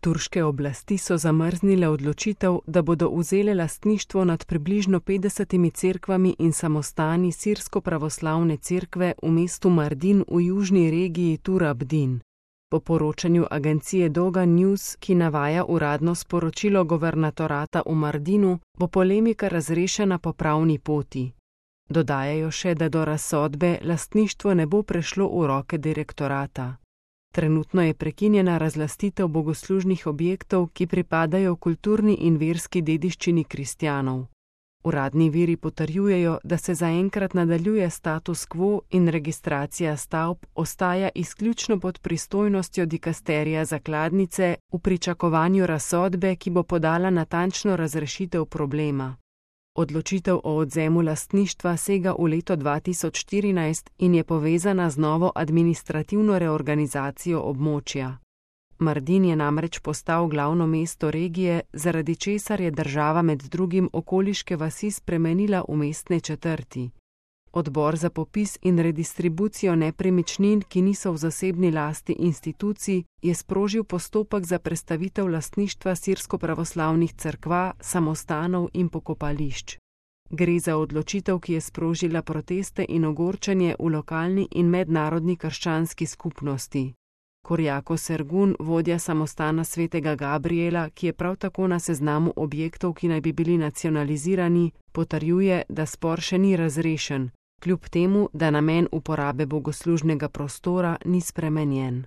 Turške oblasti so zamrznile odločitev, da bodo vzele lastništvo nad približno 50 cerkvami in samostani sirsko-pravoslavne cerkve v mestu Mardin v južni regiji Tur Abdin. Po poročanju agencije Doga News, ki navaja uradno sporočilo guvernatorata v Mardinu, bo polemika razrešena po pravni poti. Dodajajo še, da do razsodbe lastništvo ne bo prešlo v roke direktorata. Trenutno je prekinjena razlastitev bogoslužnih objektov, ki pripadajo kulturni in verski dediščini kristjanov. Uradni viri potrjujejo, da se zaenkrat nadaljuje status quo in registracija stavb ostaja izključno pod pristojnostjo dikasterija zakladnice v pričakovanju razsodbe, ki bo podala natančno razrešitev problema. Odločitev o odvzemu lastništva sega v leto 2014 in je povezana z novo administrativno reorganizacijo območja. Mardin je namreč postal glavno mesto regije, zaradi česar je država med drugim okoliške vasi spremenila v mestne četrti. Odbor za popis in redistribucijo nepremičnin, ki niso v zasebni lasti institucij, je sprožil postopek za prestavitev lastništva sirsko-pravoslavnih cerkva, samostanov in pokopališč. Gre za odločitev, ki je sprožila proteste in ogorčenje v lokalni in mednarodni krščanski skupnosti. Korjako Sergun, vodja samostana svetega Gabriela, ki je prav tako na seznamu objektov, ki naj bi bili nacionalizirani, potrjuje, da spor še ni razrešen, kljub temu, da namen uporabe bogoslužnega prostora ni spremenjen.